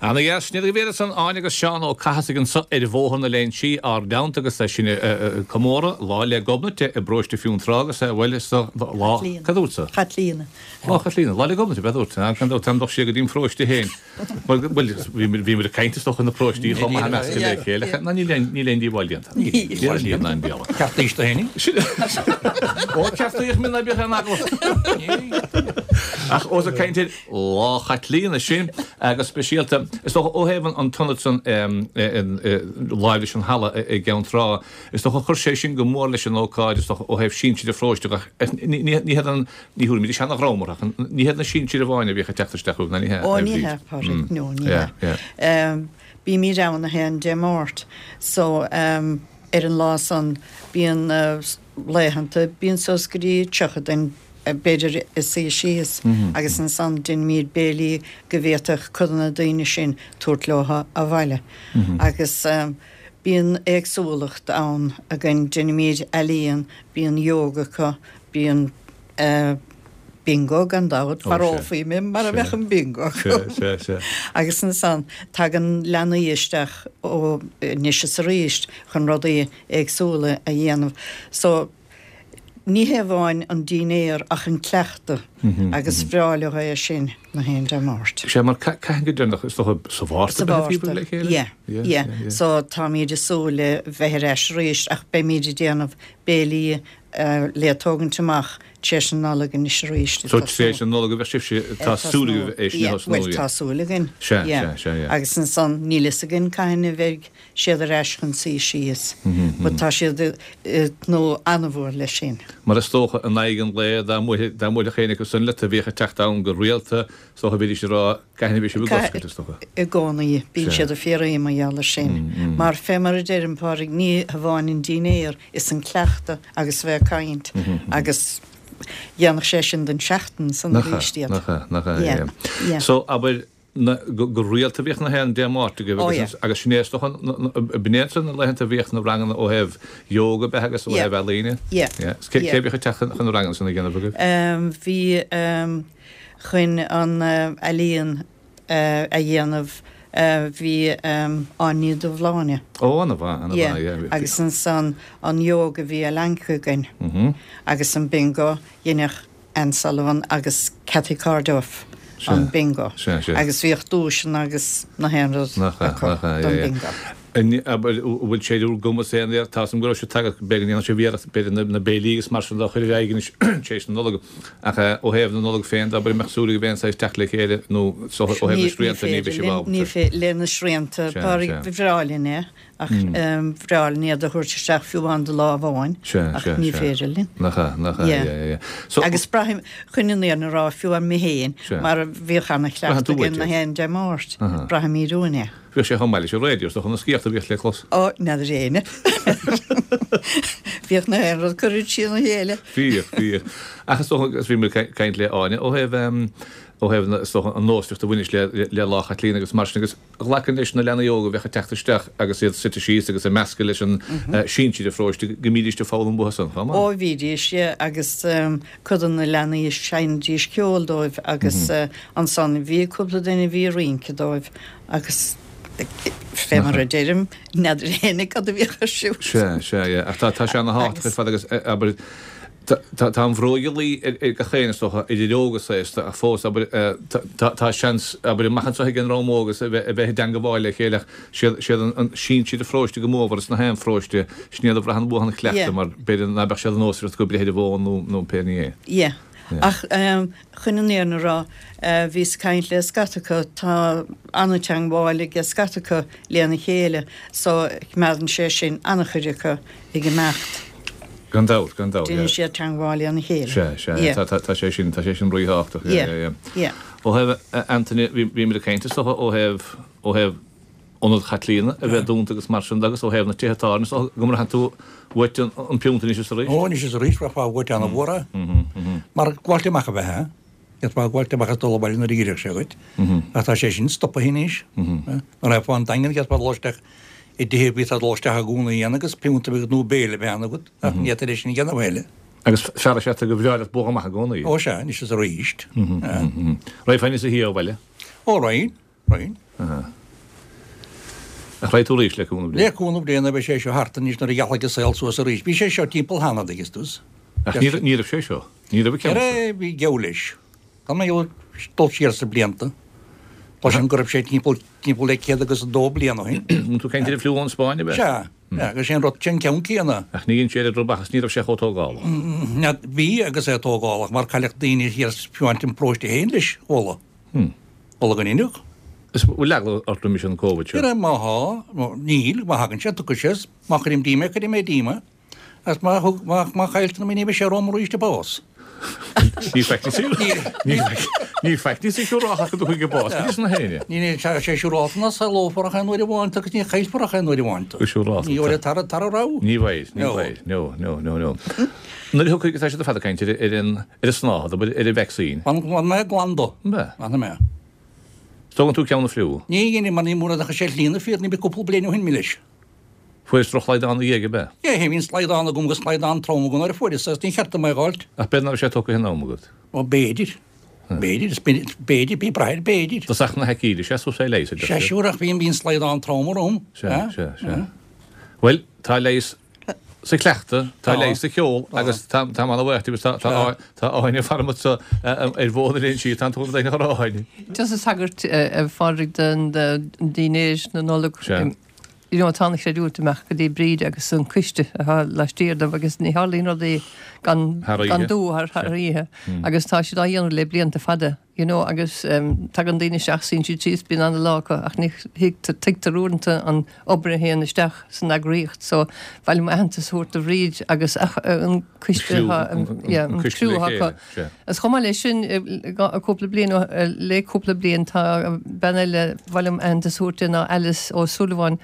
Ana dheas, sin iad go bhfios san Áine agus Seán Ó Cathasaigh anso ar Bhóthar na Léinsí ár dteannta agus sinn ag comóradh Lá 'le Gobnait i bparóiste Fionntrá agus bhuel is lá, cad dúirt tú? Chaitlíona. Lá Chaitlíona, Lá 'le Gobnait ab ea dúirt, gan dabht táim dul siar go dtí an pharóiste féin. Bhuel, bhí muid ag caint is dócha na paróistí chomh maith measctha le chéile. Ná níl aon níl aon díobháil déanta. Níl aon níl aon díobháil. Ceartaís do fhéinig. Ó ceartaíodh mé ná bíodh aon eagla. Ach ós ag caint ar Lá Chaitlíona sin agus speisialta is dócha ó thaobh an t-ionad san láimh leis an halla i gCeann Trá, is dócha chuir sé sin go mór leis an ócáid is dócha ó thaobh sinsir an pharóiste ach ní ní hiad an Ní thabharfaimid seana-dhream orthu, ach ní hiad na sinsir amháin a bhíodh ag teacht isteach chugaibh, ná ní hea, Ó, ní hea, Pádraig, no, ní hea. Bímid ann 1 Dé Máirt, so ar an lá san bíonn laethanta, bíonn suas go dtí 30 duine b'fhéidir ag suí síos agus ansan deinimid béilí go bhféadfadh cuid de na daoine sin tabhairt leo abhaile. Agus bíonn éagsúlacht ann againn, deinimid ealaíon, bíonn yoga acu, Bíonn bingo gan dabht, mharófaí mé mara mbeadh an bingo acu. Agus ansan tagann leanaí isteach ó anois is arís chun rudaí éagsúla a dhéanamh. So. Ní hé amháin an dinnéar ach an cleachtadh agus is breá leo é sin na haon Dé Máirt. Sea, mar cathain go deireanach, is dócha sa Mhárta Sa Mhárta, le chéile? Yeah, yeah. So táimid ag súil le bheith ar ais arís ach beimid ag déanamh béilí le tógaint amach tar éis na Nollag anois arís. So tar éis na Nollag a bheadh sibhse, tá súil agaibh é sin a thosnú, yeah. Bhuel, tá súil againn. Sea, sea, sea, yeah. Agus ansan níl fhios againn cathain a bheidh siad ar ais chun suí síos. But tá siad ag tnúth an-mhór leis sin. Mar is dócha, in aghaidh an lae, dá mbuailfeadh éinne acu san leat a bhíodh ag teacht ann go rialta, is dócha, bhídís ag rá, cathain a bheidh sibh ag oscailt, is dócha. I gcónaí, bíonn siad ag fiafraí mar gheall ar sin. Mar fé mar a deirim, Pádraig, ní hamháin an dinnéar, is an cleachtadh agus a bheith ag caint agus dhéanfadh sé sin don seachtain san arís iad. Nach ea, nach ea, yeah, yeah. So, abair, na, go rialta bhíodh na haon Dé Máirt agaibh agus oh, agus sin é is dócha b'in iad na laethanta a bhíodh na ranganna ó thaobh yoga ab ea agus ó thaobh ealaíne. Yeah. Yeah. Cé yeah. bhíodh ag teacht chun na ranganna sin a dhéanamh agaibh? Um, bhí um, chun an uh, ealaíon uh, a dhéanamh uh, bhí um, Áine Ní Dhubhshláine. Ó, ana-mhaith, ana-mhaith, yeah. yeah. Agus ansan an yoga bhí Alenka againn. Mm -hmm. Agus an bingo dheineadh Anne Sullivan agus Cathy Corduff an bingo agus bhíodh duaiseanna agus na haon rud acu don bingo. An bhfuil sé ar bhur gcumas aon iarracht, tá 'fhios a'm go raibh sibh tagtha, b'fhéidir go ndéanfaidh sibh iarracht, b'fhéidir na béilí agus mar sin de a chur ar aghaidh anois tar éis na Nollag, ach ó thaobh na Nollag féin de, abair, an mbeadh súil agaibh aon saghas teacht le chéile nó ó thaobh na srianta ní bheidh sibh ábalta. Ní féidir le na srianta, ba bhreá linn é. Ach bhreá linn iad a thabhairt isteach fiú amháin do lá amháin, ach ní féidir linn. Nach ea, nach ea, yeah, yeah, yeah. So, Agus braithim, chun an fhírinne a rá, fiú amháin mé féin, mar bhíodh ana-chleachtadh againn na haon Dé Máirt, braithimid uainn é. Bhíodh sé chomh maith leis an raidió, is dócha, na sciorta a bhíodh le clos. Ó, n'fheadar éinne. Bhíodh na haon rud curtha trína chéile. Bhíodh, bhíodh. Ach is dócha, agus bhí mé ag caint le Áine, ó thaobh, ó thaobh na, is dócha, an nósmhaireacht a bhaineas le, le Lá Chaitlíona agus mar sin, agus ghlacfainn leis na leanaí óga a bheadh ag teacht isteach agus iad suite síos agus ag meascadh leis an sinsir an pharóiste go mbídíst ag foghlaim uathu san chomh maith. Ó bhídís, yeah, agus cuid de na leanaí sheinnidís ceol dóibh agus ansan bhí cúpla duine a bhí ag rince dóibh agus fé mar a deirim, n'fheadar éinne cad a bhíodh ar siúl. Sea, sea, yeah. Ach tá sé ana thábhachtach ar fad agus abair, Tá an bhróig ag luí ar gach éinne, is dócha, idir óg is aosta, ach fós, abair, tá seans, abair, amach anseo ag an dream óg a bheith i dteangabháil le chéile ach siad an sinsir an pharóiste go mórmhór is na haon pharóiste, sin iad a bhraitheann uathu an cleachtadh mar b'fhéidir ná beadh sé de nósmhaireacht acu breith ar an bhfón nó pé ní é. Yeah. Ach chun an fhírinne a rá, bhíos ag caint le scata acu, tá an-teangmháil ag scata acu lena chéile so coimeádann sé sin an-chuid acu ag imeacht. Gan dabht, gan dabht, yeah. Déanann siad teangmháil lena chéile. Sea, sea, yeah. Tá, tá, tá sé sin, tá sé sin ríthábhachtach, yeah, yeah, yeah. Yeah. Ó thaobh, Anthony, bhí, bhíomar ag caint is dócha ó thaobh, ó thaobh Ionad Chaitlíona a bheith dúnta agus mar sin de agus ó thaobh na tithe tábhairne is dócha go mbraitheann tú uait an, an piúnt anois is arís. Ó, anois is arís, bhraithfeá uait an-mhór é. Mar gabháilt amach a bheith, eh? D'fhéadfá gabháilt amach is dul abhaile nuair a dh'iarrfadh sé dhuit. Ach tá sé sin stoptha anois. Nuair a raghfá an Daingean d'fhéadfá dul isteach i dtithe a bhíos ag dul isteach i gcónaí ann agus piúnta a bheith agat nó béile a bheith ann agat ach ní fhéadtar é sin a dhéanamh a thuilleadh. Agus fear is ea tú gur bhreá leat bualadh amach i gcónaí. Ó sea, anois is arís. Raghfá níos a thí ó bhaile? Ó raghainn, raghainn. Ach raghaidh tú arís le cúnamh Dé? Le cúnamh Dé nuair a bheidh sé seo thart anois nuair a ghealfaidh an saol suas arís. Bhí sé seo timpeall cheana, an dtuigeann tú. Ach ní raibh sé seo. Ní raibh an ceann seo. Bhí geall leis. Tá mé ag dul siar sna blianta. Cloisim go raibh sé timpeall timpeall le 102 bliain ó shin. An tú ag caint ar an fliú ón Spáinn, ab ea? Sea, sea, agus sé an rud, sé an ceann céanna. Ach ní dhein sé oiread rubach is ní raibh sé chomh tógálach. Bhí agus é tógálach mar cailleadh daoine thiar fiú amháin an paróiste féin leis, chuala. Chuala go ndeineadh. Is bhfuil eagla ort roimis an Covid seo? Má thá, níl, má thagann sé, tiocfaidh sé, má chuirim díom é, cuirfidh mé díom é. Agus má thug, má, má chailltear mé ní bheidh sé romham arís ag bás. Ní faitíos ní faitíos é siúrálta go dtiocfaidh an bás, cad é san a fhéinne? Ní ní tá sé siúrálta ná saolófar ach aon uair amháin tú agus ní chaillfear ach aon uair amháin tú. Go siúrálta. Ní bheidh tar tar a raibh. Ní bheidh, ní bheidh, no, no, no, no. Nuair a thiocfaidh, tá siad ar fad ag caint ar ar an ar an snáthaid, ar an vacsaín. Fanfaidh mé glan dó. An bea? Fanfaidh mé. Tógann tú ceann an fliú? Ní dhéanfaidh mar ní mura ndeachaigh sé slí na fírinne bhí cúpla bliain ó shin mé leis. Fuairis drochshlaghdán ina dhiaidh, ab ea? Dhé, bhí an slaghdán agam agus slaghdán trom agam nuair a fuaireas é agus níor cheart dom é a dh'fháilt. Ach b'fhéidir nach raibh sé tógtha in am agat? Ó, b'fhéidir. B'fhéidir. Is b'fhéidir, bí ag brath ar b'fhéidir. Dtosach na haicíde, sea, suas é leigheas, a deir siad. Sea, siúr, ach bhí an slaghdán trom orm. Sea, sea, sea. Bhuel, tá leigheas. sa chleachtadh, tá leigheas sa cheol agus tá táim ana-bhuíoch díobh agus tá tá Áine fara anseo ar Bhóthar na Léinsí, tá an t-údar ag a rá Áine. Just a thagairt a Phádraig don dinnéar na Nollag. You know tá an-chreidiúint ag imeacht go dtí Bríd agus an coiste atá laistiar dóibh agus ní tharlaíonn rudaí gan gan dua thar thar oíche agus tá siad á dhéanamh le blianta fada. you know agus tagann daoine isteach, suíonn siad síos, bíonn ana-lá acu ach ní thuigtear uaireanta an obair a théann isteach san eagraíocht so ba mhaith liom aitheantas a thabhairt do Bhríd agus an coiste atá, yeah, an criú atá acu. Agus chomh maith leis sin, cúpla bliain, le cúpla bliain tá bean eile ba mhaith liom aitheantas a thabhairt di ná Alice Ó Súilleabháin,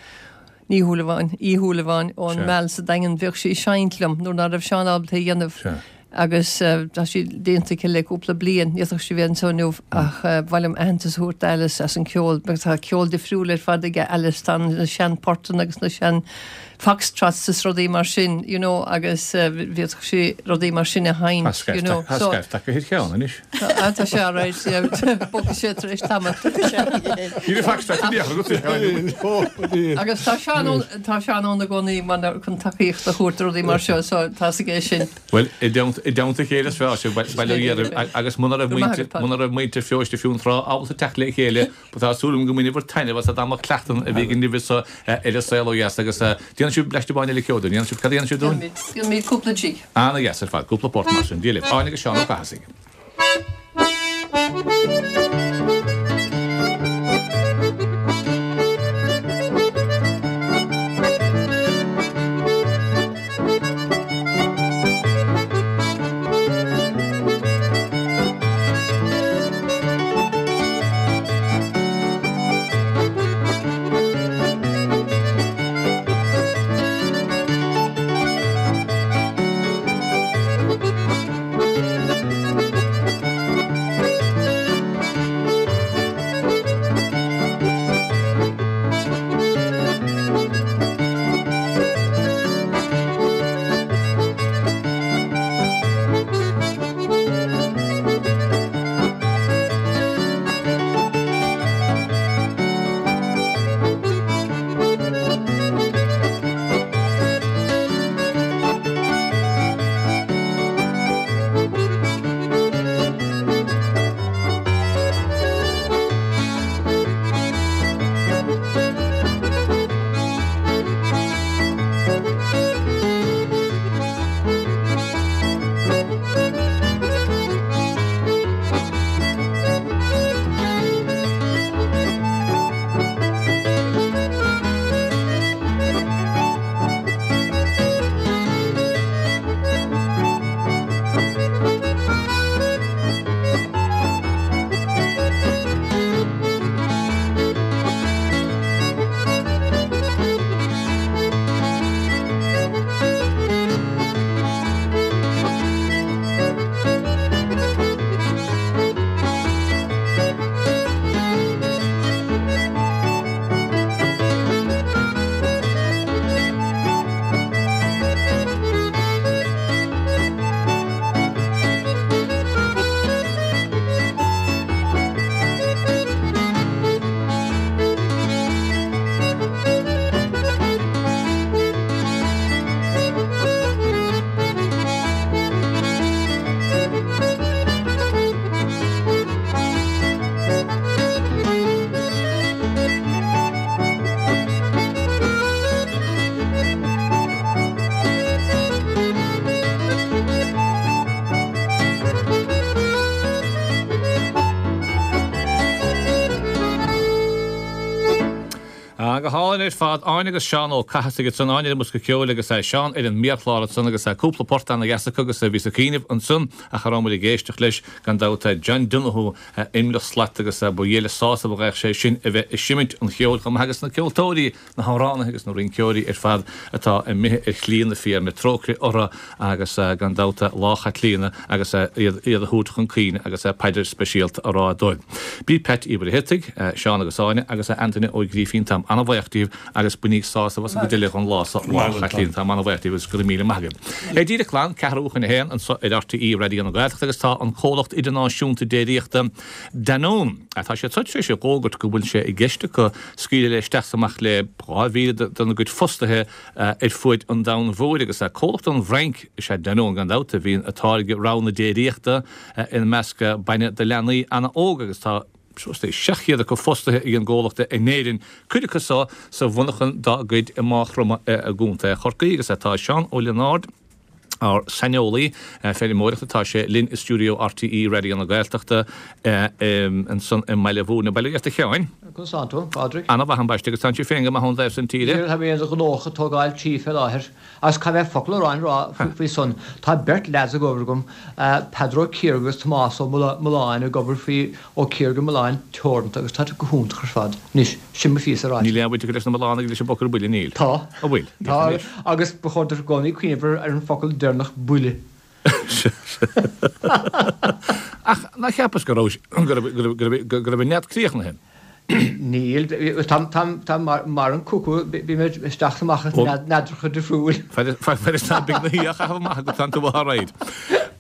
Ní Shúilleabháin, Uí Shúilleabháin, ón Meal sa Daingean, bhíodh sí ag seinnt liom nuair ná raibh Seán ábalta é a dhéanamh agus tá sí déanta aici le cúpla bliain, ní fhéadfadh sí bheith anseo inniu ach ba mhaith liom aitheantas a thabhairt d'Alice as an ceol mar tá ceol difriúil ar fad aige Alice, tá na sean portanna agus na sean foxtrots is rudaí mar sin you know agus bhféadfadh sí rudaí mar sin a sheinnt you know so. Tá scaifte acu thar cheann anois. Tá sé alright, bogfaidh sé tar éis tamaill. Ní raibh foxtrot in aon chor agat. Agus tá Seán ann, tá Seán ann i gcónaí mar chun tacaíocht a thabhairt do rudaí mar seo so tá 's aige sin. Bhuel, i dteannta a chéile is fearr sibh, bail ó Dhia oraibh, agus muna raibh muintir, muna raibh muintir Feoiste Fionntrá ábalta teacht le chéile, Tá súil agam go mbainfear taitneamh as an am cleachtann a bhí againn libh anseo ar An Saol Ó Dheas agus déanfaidh sibh bleaist amháin eile ceoil dúinn, dhéanfaidh sibh, cad a dhéanfaidh sibh dúinn? Déanfaimid cúpla jig. Ana-dheas ar fad, cúpla port mar sin. Dia libh. Áine agus Seán Ó Cathasaigh. Ah, go hálainn ar fad. Áine agus Seán Ó Cathasaigh ansan, Áine ar an mbosca ceoil agus Seán ar an méarchlár ansan agus cúpla port ana-dheas acu agus bhíos ag cuimhneamh ansan ach a raibh muid ag éisteacht leis, gan dabht, John Donoghue, Imleach Slat agus ba dhiail an sásamh a bheadh sé sin a bheith ag seimint an cheoil chomh maith agus na ceoltóirí na hamhránaithe agus na rinceoirí ar fad atá imithe ar shlí na fírinne, trócaire orthu agus gan dabht Lá Chaitlíona agus iad a thabhairt chun cuimhne agus paidir speisialta a rá dóibh. Bríd Peait Uí Mhuircheartaigh, Seán agus Áine agus Antaine Ó Grífín. Táim an. ana-bhaoch díbh agus bainíg sásamh as an gcuid eile den lá so a Chaitlín. Táim ana-bhaoch díbh agus go raibh míle maith agaibh. É díreach glan ceathrú chun a haon anso ar RTÉ Raidió na Gaeltachta agus tá an comhlacht idirnáisiúnta déiríochta Danone, tá siad so tar éis a dh'fhógairt go bhfuil sé i gceist acu scaoileadh le isteach is amach le 2,000 dena gcuid fostaithe ar fuaid an domhain mhóir agus comhlacht ón bhFrainc is ea Danone gan dabht a bhíonn ag táirgeadh roghanna déiríochta ina measc bainne do leanaí ana-óg agus tá suas le 700 acu fostaithe ag an gcomhlacht in Éirinn, cuid acu so sa mhonarchan dá gcuid i Maigh Chromtha i gContae Chorcaí agus tá Seán Ó Lionáird, ár saineolaí feirmeoireachta, tá sé linn i stiúideo RTÉ Raidió na Gaeltachta ansan i mBaile Mhúirne. Bail ó Dhia ort a Sheáin. Conas tánn tú, a Phádraig? Ana-mhaith ambaiste agus tánn tú féin go maith ón dtaobh san tíre? Tá mé gnóthach ag tógáil tí fé láthair. Agus caithfidh mé focal a rá rá faoi san. Tá beirt leaids ag obair agam, Peadar Ó Ciarga agus Tomás Ó Mulláin ag obair faoi Ó Ciarga Mulláin Teoranta agus tá siad go hiontach ar fad. Anois, sin mo phíosa ráite. Níl aon bhaint acu leis na Mullánaigh leis an bhfocal buile, níl? Tá. An bhfuil? Tá, agus ba chóir duit i gcónaí cuimhneamh ar an focal deireanach buile. Ach nár cheapas go raibh, go raibh an nead críochnaithe? Níl. Tá mar an cucú, bím isteach is amach as neadracha difriúil. Fad is ná beidh na á chaitheamh amach agat tánn tú alright.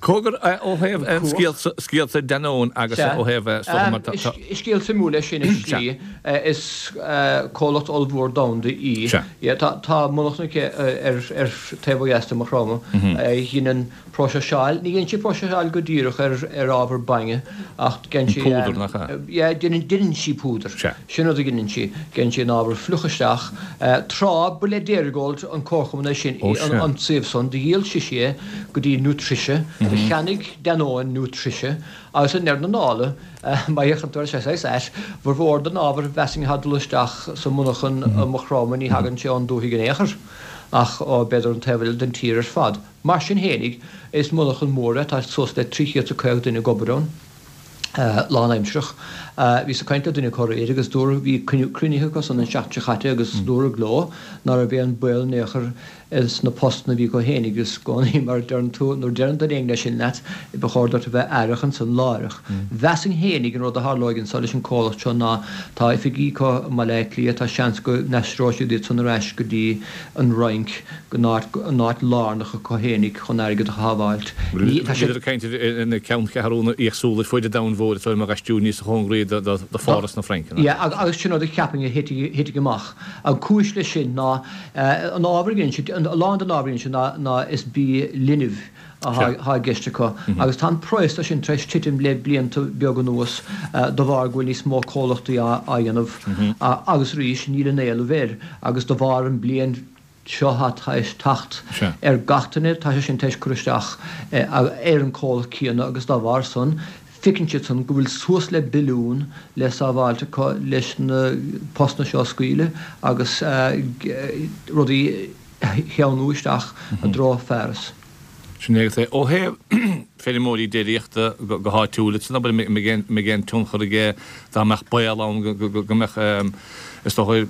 Cogar ó thaobh scéalta Danone agus ó thaobh is dócha mar tá. Is scéal suimiúil é sin i slí. Is comhlacht ollmhór domhanda í. Tá monarchan aici ar taobh ó dheas de Mhaigh Chromtha a dheineann Próiseáil, ní dhéanann sí próiseáil go díreach ar ábhar bainne ach déanann sí. Púdar, nach ea? Yeah, déanann sí púdar. Sea. Sin rud a dheineann sí. Déanann sí an ábhar fliuch isteach. Tráth ba le Dairygold an comharchumann é sin, an suíomh san, do dhíol sise é go dtí Nutricia. Do cheannaigh Danone Nutricia agus i ndeireadh na dála, má fhéachann tú air, sé saghas ait, formhór den ábhar mheasfainn atá ag dul isteach sa monarchan i Maigh Chromtha ní thagann sé ón dúthaigh in aon chor ach ó b'fhéidir an taobh eile den tír ar fad. Mar sin fhéinig, is monarchan mór é, tá suas le 350 duine ag obair ann, lánaimsearach. Bhíos ag caint le duine acu aréir agus dúradh, bhí cruinnithe acu san an seachtain seo chaite agus dúradh leo ná raibh aon baol in aon chor sna postanna a bhí acu fhéinig agus i gcónaí mar a deireann tú, nuair a deireann duine éigin é sin leat, ba chóir duit a bheith aireach ansan láithreach. Mheasfainn fhéinig an rud a tharlóidh anso leis an comhlacht seo ná tá oifigí acu i mBaile Átha Cliath, tá seans go n-aistreoidh siad iad san ar ais go dtí an Fhrainc, go an áit lárnach acu fhéinig chun airgead a shábháilt. Ní, tá siad. Bhíodar ag caint ar na ceanncheathrúna éagsúla ar fuaid an domhain mhóir atá ag aistriú níos cóngaraí do Pháras na Fraince. Yeah, agus sin rud a cheapfainn a thitfidh amach. An cúis leis sin ná an ábhar a dhéanann siad, a lán den ábhar a dhéanann siad ná ná is bia linbh atá i gceist acu agus tá an praghas de sin tar éis titim le blianta beaga anuas de bharr go bhfuil níos mó comhlachtaí á dhéanamh agus arís níl an éileamh air agus de bharr an bliain seo atá tar éis teacht ar gach duine tá sé sin tar éis cur isteach ar an comhlacht céanna agus dá bharr san feiceann siad san go bhfuil suas le billiún le sábháilt acu leis na postanna seo a scaoileadh agus rudaí a sheánú isteach i dtreo Pháras. Sin é agus é. Ó thaobh feirmeoirí déiríochta go háitiúil, san abair, an mbeidh aon tionchar aige dá mbeadh baol ann go mbeadh, is dócha,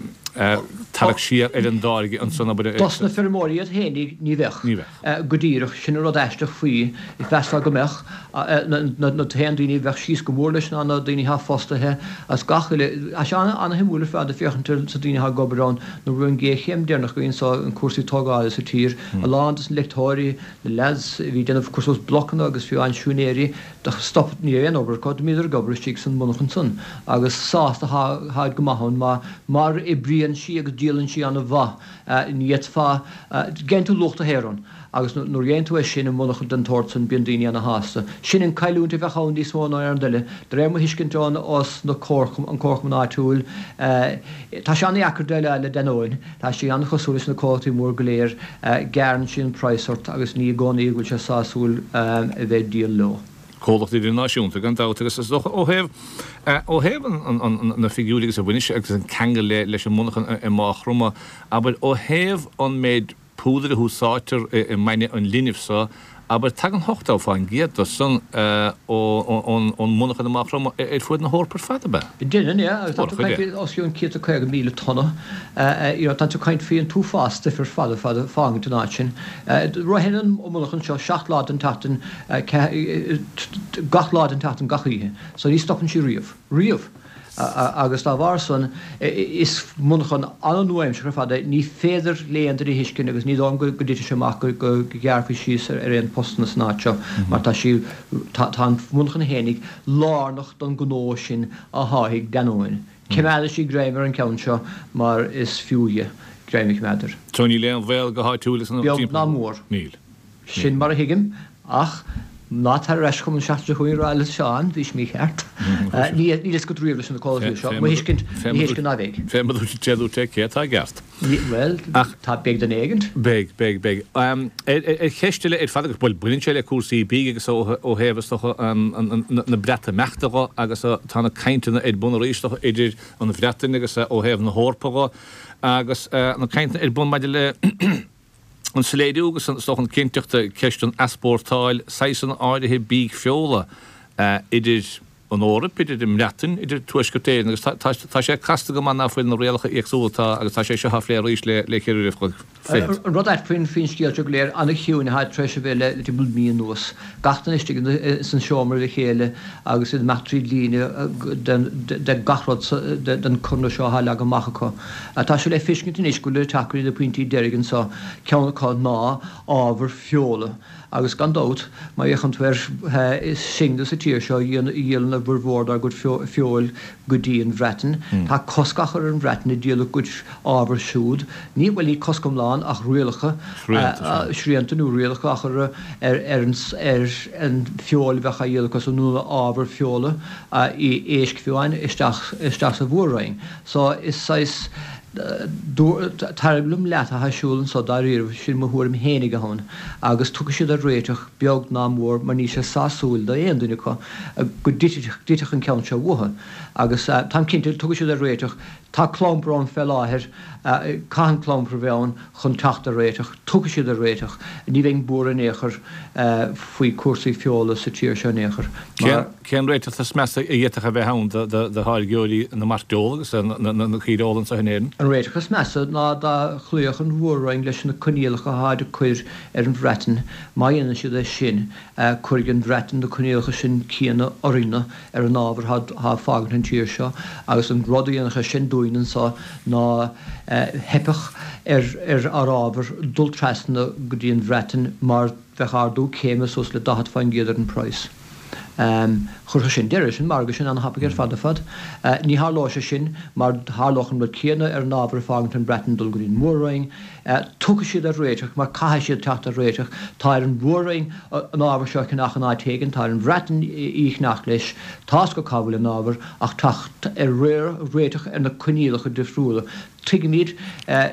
tarrac siar ar an dtáirgeadh ansan, abair. Dos na feirmeoirí iad fhéinig, ní bheadh. Ní bheadh. Go díreach. Sin an rud aisteach faoi. Mheasfá go mbeadh. Na t-aon daoine a bheadh síos go mór leis ná na daoine atá fostaithe as gach uile. Tá sé ana-shuimiúil ar fad ag féachaint ar na daoine atá ag obair ann nuair a bhí an ghéarchéim deireanach againn anso in cúrsaí tógála sa tír. A lán des na leicteoirí, na leaids a bhí ag déanamh cur suas blocanna agus fiú amháin siúinéirí, do stop, ní raibh aon obair acu, d'imíodar ag obair istigh san monarchan san agus sásta tháid go maith ann mar mar oibríonn sí agus díolann sí ana mhaith, ní fhéadfá, gheibheann tú luach do shaothair ann agus nuair a gheibheann tú é sin i monarchan den tsórt san bíonn daoine ana shásta. Sin an cailliúint a bheadh ann níos mó ná aon rud eile. De réir mo thuiscint ón os na comharchumann, an comharchumann áitiúil, tá sé ana dheacair déileáil le Danone. Tá sí an-chosúil leis na comhlachtaí mór go léir, gearrann sí an praghas ort agus ní i gcónaí go bhfuil sé sásúil a bheith ag díol leo. Comhlacht idirnáisiúnta gan dabht agus is dócha ó thaobh ó thaobh an na figiúirí agus a bhaineann sé agus an ceangal le leis an monarchan i Maigh Chromtha, abair ó thaobh an méid púdair a húsáidtear i mbainne an linbh so, abair, tagann 80% de san ón monarchan i Maigh Chromtha ar fuaid na hEorpa ar fad, ab ea? Déanann, yeah, agus tá tú ag caint faoi os cionn 150,000 tonna, you know, tá tú ag caint faoi an t-uafás stuif ar fad ar fad ag fágaint an áit sin. Ritheann an monarchan seo seacht lá den tseachtain, gach lá den tseachtain, gach oíche, so ní stopann sí riamh. Riamh! Agus dá bharr san, is monarchan an-nua-aimseartha ar fad é. Ní féidir le aon duine a thuiscint agus ní dóigh liom go dtitfidh sé amach go ghearrfaí síos ar aon postanna san áit seo mar tá sí, tá an mhonarchan fhéinig lárnach don ghnó sin a sháithigh Danone. Coimeádaisí greim ar an gceann seo mar is fiú dhe greim a choimeád air. So níl aon bhaol go háitiúil is an Beag ná mór. Níl. Sin mar a thuigim, ach ná tar ar ais chugam an seachtain seo chugainn ag rá le Seán, bhís mícheart. Níl fhios agat riamh leis na comhlachtaí seo. Mo thuiscint, ní thuiscint ná bheidh. Fé mar a dúirt é, cé atá i gceart? Bhuel, tá, beidh duine éigint. Beidh, beidh, beidh. Ar cheist eile ar fad, agus bhuel, baineann sé le cúrsaí bídh agus ó thaobh is dócha na Breatimeachta dho agus tá na cainteanna ar bun arís is dócha idir an Bhreatain agus ó thaobh na hEorpa dho agus na cainteanna ar bun maidir le an soiléiriú agus is dócha an cinnteacht ceist an easpórtáil saghsanna áirithe bídh feola idir an Eoraip, idir an mBreatain, idir Tuaisceart Éireann agus tá sé casta go maith ná fuil na rialacha éagsúla atá agus tá sé seo á phlé arís le ceithre uair a chloig fichead. An rud ait faoin scéal seo go léir, an-chiúin atá tar éis a bheith le timpeall mí anuas. Gach duine istigh san seomra le chéile agus iad ag imeacht tríd líne de gach rud den conradh seo atá leagtha amach acu. Tá sé le feiscint anois go bhfuil ag teacht go dtí na pointí deiridh anseo, ceann acu ná ábhar feola agus gan dabht má fhéachann tú air is sinne sa tír seo a dhíolann a bhformhór dár gcuid feoil go dtí an Bhreatain. Tá cosc á chur ar an Bhreatain ag díol a gcuid ábhair siúd, ní, bhuel ní cosc iomlán ach rialacha, srianta nó rialacha á chur ar an ar an feoil a bheadh á dhíol acu nó ábhar feola, éisc fiú amháin, isteach isteach sa Mhór-Roinn. So is saghas tar liom leat atá ar siúl anso dáiríre, sin mo thuairim fhéinig atá ann, agus tiocfaidh siad ar réiteach beag ná mór mar níl sé sásúil d'aon duine acu go dtitfeadh an ceann seo uathu. Agus táim cinnte tiocfaidh siad ar réiteach. Tá clampar ann fé láthair, caithfidh an clampar a bheith ann chun teacht ar réiteach. Tiocfaidh siad ar réiteach. Ní bheinn buartha in aon chor faoi cúrsaí feola sa tír seo in aon chor. Mar. Cén réiteach is measa a d'fhéadfadh a bheith ann do tháirgeoirí na mairteola agus na caoireola anseo in Éirinn? An réiteach is measa ná dá chloífeadh an Mhór-Roinn leis na coinníollacha atáid ag cur ar an Bhreatain. Má dhéanann siad é sin, cuirfidh an Bhreatain na coinníollacha sin céanna orainne ar an ábhar atá ag fágaint an tír seo agus an rud a dhéanfadh sé sin dúinn anso ná theipfeadh ar ár ábhar dul trasna go dtí an Bhreatain mar bheadh ardú céime suas le 40% ar an praghas. Chuirfeadh sin deireadh leis an margadh sin an-thapaidh ar fad ar fad. Ní tharlóidh sé sin mar tharlódh an rud céanna ar an ábhar ag fágaint an Bhreatain dul go dtí an Mhór-Roinn. Tiocfaidh siad ar réiteach mar caithfidh siad teacht ar réiteach. Tá ar an Mhór-Roinn an ábhar seo a cheannach in áit éigin, tá ar an Bhreatain í a cheannach leis, tá's acu cá bhfuil an ábhar ach teacht ar réiteach ar na coinníollacha difriúla. Tuigimid,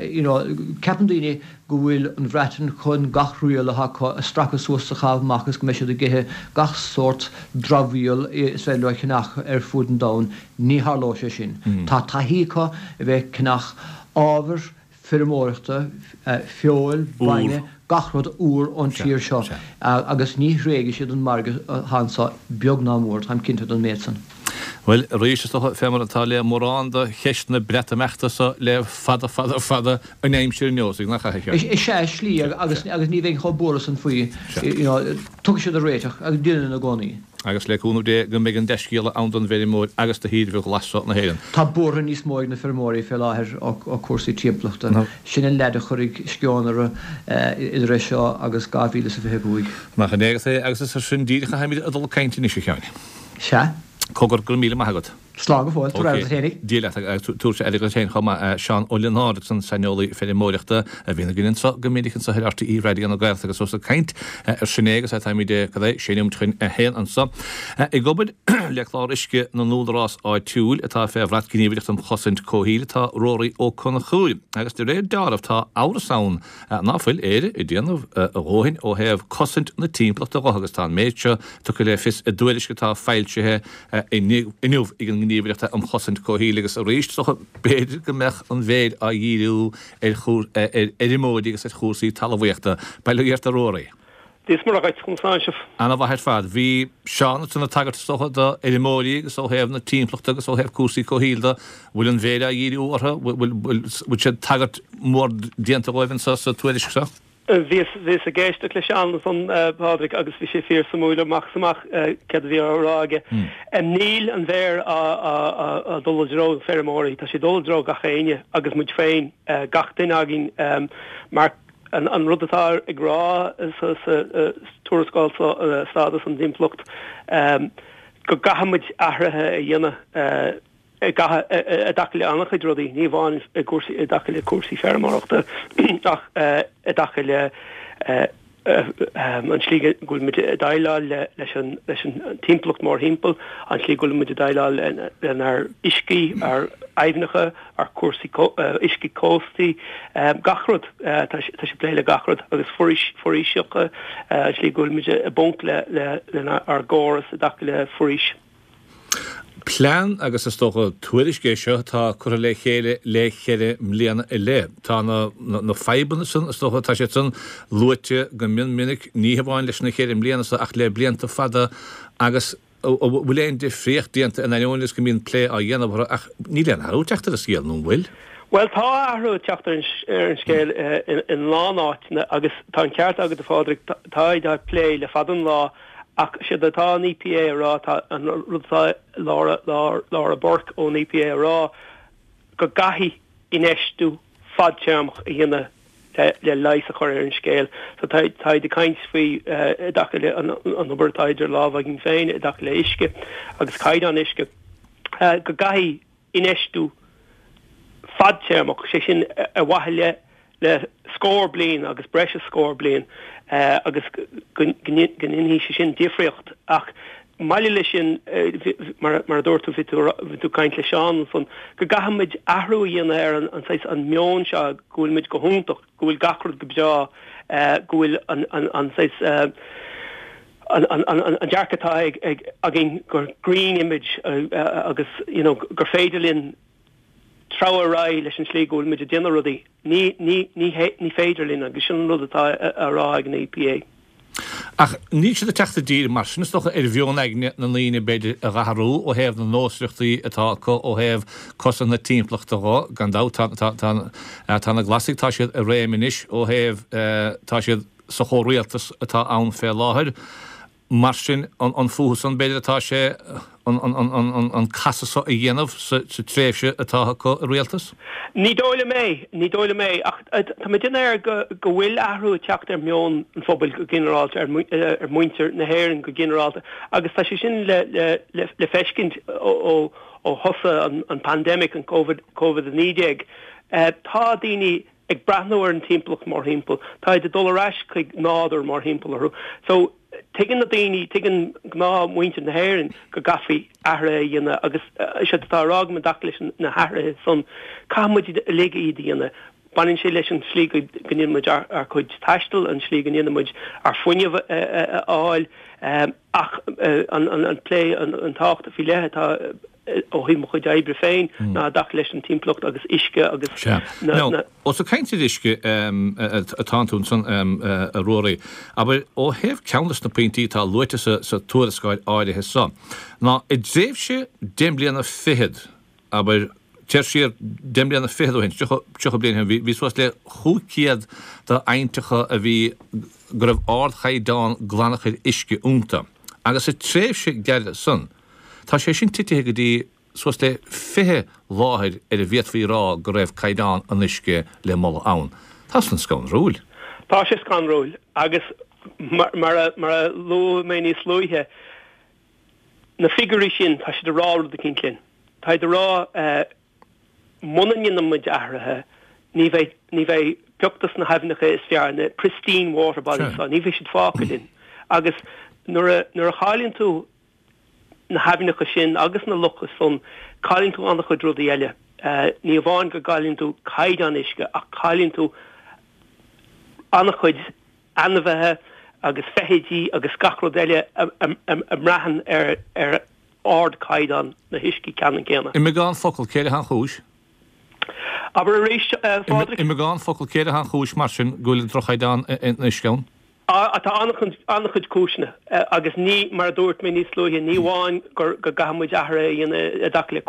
you know, ceapann daoine go bhfuil an Bhreatain chun gach riail atá acu a stracadh suas is a chaitheamh amach is go mbeidh siad ag ithe gach sórt dramhaíl is féidir leo a cheannach ar fud an domhain. Ní tharlóidh sé sin. Tá taithí acu a bheith ag ceannach ábhar feirmeoireachta, feoil, bainne, gach rud úr ón tír seo agus ní thréigfidh siad an margadh atá anseo beag ná mór, táim cinnte den méid san. Bhuel, arís, is dócha, fé mar atá le mórán de cheist na Breatimeachta so le fada, fada, fada an aimsir anuas, nach ea, a Sheáin? Is ea, slí, agus ní bheinn chomh buartha san faoi, you know, tiocfaidh siad ar réiteach, agus déanann i gcónaí. Agus le cúnamh Dé go mbeidh an dea-scéala ann don bhfeirmeoir agus do thír ghlas seo na hÉireann. Tá buartha níos mó ag na feirmeoirí fé láthair ó cúrsaí timpeallachta. Sin an leid a chuirfidh sceon orthu idir é seo agus 2025. Nach in é agus é agus is ar sin díreach a tháimid ag dul ag caint anois, a Sheáin. Sea. Cogar, go raibh míle maith agat. Slán go fóill, tabhair aire duit fhéinig. Dia leat agus tabharfaidh aire duit féin chomh maith. Seán Ó Lionáird agus an saineolaí feirmeoireachta a bhíonn againn anseo go minic anseo ar RTÉ Raidió na Gaeltachta agus ós ag caint ar sin é agus táimid cad é, sé nóiméad chun a haon anseo. Ag obair le clár uisce na n-údarás áitiúil atá fé bhrat Gníomhaireacht um Chosaint Comhshaoil atá Ruairí Ó Conchúir agus de réir deáraimh tá amhras ann ná fuil Éire ag déanamh a dhóthain ó thaobh cosaint na timpeallachta dho agus tá an méid seo tugtha le fios i dtuairisc atá foilsithe inniu ag an nGníomhaireacht um Chosaint Comhshaoil agus arís is dócha b'fhéidir go mbeadh an mhéir á dhíriú ar fheirmeoirí agus ar chúrsaí talmhaíochta. Bail ó Dhia ort a Ruairí. Dia is Muire dhuit, conas tánn sibh? Ana mhaith ar fad. Bhí Seán ansan ag tagairt is dócha do fheirmeoirí agus ó thaobh na timpeallachta agus ó thaobh cúrsaí comhshaoil de, bhfuil an mhéir á dhíriú orthu, bhfuil, bhfuil sé tagairt mhór déanta dhóibh anso sa tuairisc seo? Bhíos, bhíos ag éisteacht le Seán ansan, a Phádraig, agus bhí sé fíor suimiúil amach is amach céard a bhí á rá aige. Níl an mhéar á, á, á, á dul i dtreo na feirmeoirí, tá sé ag dul i dtreo gach éinne agus muid féin, gach duine againn, mar an, an rud atá ag rá sa, sa tuarascáil seo, stádas an timpeallacht, go gcaithfidh muid athruithe a dhéanamh. i dtaca le an-chuid rudaí, ní amháin i gcúrsaí, i dtaca le cúrsaí feirmeoireachta ach i dtaca le an tslí go bhfuil muid ag déileáil leis an leis an timpeallacht mórthimpeall, an tslí go bhfuil muid ag déileáil lenár uiscí, ár aibhneacha, ár cúrsaí uiscí cóstaí, gach rud. Tá sé ag plé le gach rud agus foraoiseacha, an tslí go bhfuil muid i bponc le lenár gcóras i dtaca le foraois. Plean agus is dócha tuairisc é seo atá curtha le chéile le ceithre mbliana i leith. Tá na na fadhbanna san, is dócha, tá siad san luaite go mion minic, ní hamháin leis na ceithre mbliana seo ach le blianta fada agus an bhfuil aon difríocht déanta in ainneoin is go mbíonn plé á dhéanamh orthu ach níl aon athrú ag teacht ar an scéal, nó an bhfuil? Bhuel, tá athrú ag teacht ar an scéal in a lán áiteanna agus tá an ceart agat a Phádraig, táid á plé le fada an lá Ach séard atá an EPA a rá, tá an rud atá Laura, Laura Burke ón EPA a rá, go gcaithfidh infheistiú fadtéarmach a dhéanamh le le leigheas a chur ar an scéal. So tá táid ag caint faoi i dtaca le an an obair atá idir lámha againn féin i dtaca le uisce agus caighdeán uisce, go gcaithfidh infheistiú fadtéarmach, sé sin ar mhaithe le le scór bliain agus breis is scór bliain agus go ndéanfaidh sé sin difríocht. Ach maille leis sin, mar a dúirt tú, bhí tú ag caint le Seán ansan, go gcaithfidh muid athrú a dhéanamh ar an saghas, an meon seo go bhfuil muid go hiontach, go bhfuil gach rud go breá, go bhfuil an saghas, an dearcadh atá againn gur green image agus you know gur féidir linn treabhadh ar aghaidh leis an tslí go bhfuil muid ag déanamh rudaí. Ní, ní, ní, ní féidir linn agus sin an rud atá á rá ag an EPA. Ach níl siad ag teacht i dtír mar sin, is dócha, ar mheon aigne na ndaoine, b'fhéidir, a dh'athrú ó thaobh na nósmhaireachtaí atá acu, ó thaobh cosaint na timpeallachta dho. Gan dabht, tá, tá, tá, tá na Glasaigh, tá siad i réim anois ó thaobh, tá siad sa chomhrialtas atá ann fé láthair. Mar sin, an fúthu san, b'fhéidir, atá sé an casadh so a dhéanamh sa tréimhse atá acu i rialtas? Ní dóigh liom é, ní dóigh liom é. Ach tá mé ag déanamh air go bhfuil athrú ag teacht ar mheon an phobail go ginearálta, ar mhuintir na hÉireann go ginearálta. Agus tá sé sin le feiscint ó thosaigh an pandemic, an Covid-19. Tá daoine ag breathnú ar an timpeallacht mórthimpeall, táid ag dul ar ais chuig nádúr mórthimpeall orthu. So, tuigeann na daoine, tuigeann gnáthmhuintir na hÉireann go gcaithfí athruithe a dhéanamh agus séard atá á rá agam i dtaca leis na hathruithe san, caithfidh muid uilig iad a dhéanamh. Baineann sé leis an tslí go ndéanann muid ár gcuid taistil, an tslí go ndéanann muid ár fuinneamh a fháil ach an plé, an tábhacht faoi leith atá ó thaobh mo chuid oibre féin ná i dtaca leis an timpeallacht agus uisce agus na. Now, ós ag caint ar uisce atánn tú ansan, a Ruairí, abair, ó thaobh ceann des na pointí atá luaite sa tuarascáil áirithe so, ná i dtréimhse deich mbliana fichead, abair, téir siar deich mbliana fichead ó shin, 30 bliain ó shin, bhí suas le 500 d'aibhnteacha a bhí, go raibh ardchaighdeán glanachair uisce iontu. Agus sa tréimhse ghearr san, Tá sé sin titithe go dtí suas le 20 láthair ar a bhféadfaí a rá go raibh caighdeán an uisce le moladh ann. Tá san scanrúil. Tá sé scanrúil agus mar a luaigh mé níos luaithe, na figiúirí sin, tá siad ag rá rud eicínt linn. Táid ag rá muna ndéanann muid athruithe, ní bheidh, ní bheidh pioc dos na haibhneacha is fearr, na pristine water bodies, ní bheidh siad fágtha linn. Agus nuair a, nuair a chailleann tú na haibhneacha sin agus na locha san, cailleann tú an-chuid rudaí eile. Ní amháin go gcailleann tú caighdeán uisce ach cailleann tú an-chuid ainmhithe agus feithidí agus gach rud eile a mbraitheann ar ardchaighdeán na huiscí ceannann céanna. I mbeagán focal, céard atá an chúis? Abair arís, a Phádraig. I mbeagán focal, céard atá an chúis mar sin go bhfuil droch-chaighdeán an uisce ann? Tá an-chuid cúiseanna agus ní, mar a dúirt mé níos luaithe, ní amháin go gcaithfidh muid athruithe a dhéanamh i dtaca le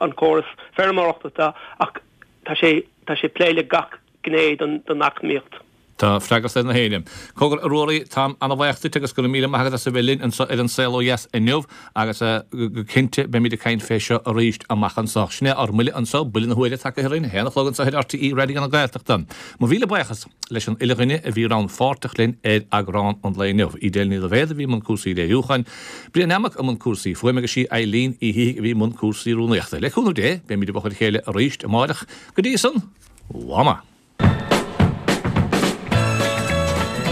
an córas feirmeoireachta atá ach tá sé tá sé ag plé le gach gné den eacnamaíocht. Tá freagracht ar na héinne. Cogar, a Ruairí, táim ana-bhaoch duit agus go raibh míle maith agat as a bheith linn anseo ar An Saol Ó Dheas inniu agus go cinnte beimid ag caint fé seo arís amach anseo. Sin é ár mbuille anseo, buille na huaire tagtha orainn, a haon a chlog anseo ar RTÉ Raidió na Gaeltachta. Mo mhíle buíochas leis an uile dhuine a bhí rannpháirteach linn ar eagrán an lae inniu. Edel Ní Loibhéad a bhí i mbun cúrsaí léiriúcháin, Brian Lammock i mbun cúrsaí fuaime agus sí Eileen Uí Shíthigh a bhí i mbun cúrsaí rúnaíochta. Le cúnamh Dé, beimid i bhfochair a chéile arís amáireach. Go dtí san, mhama!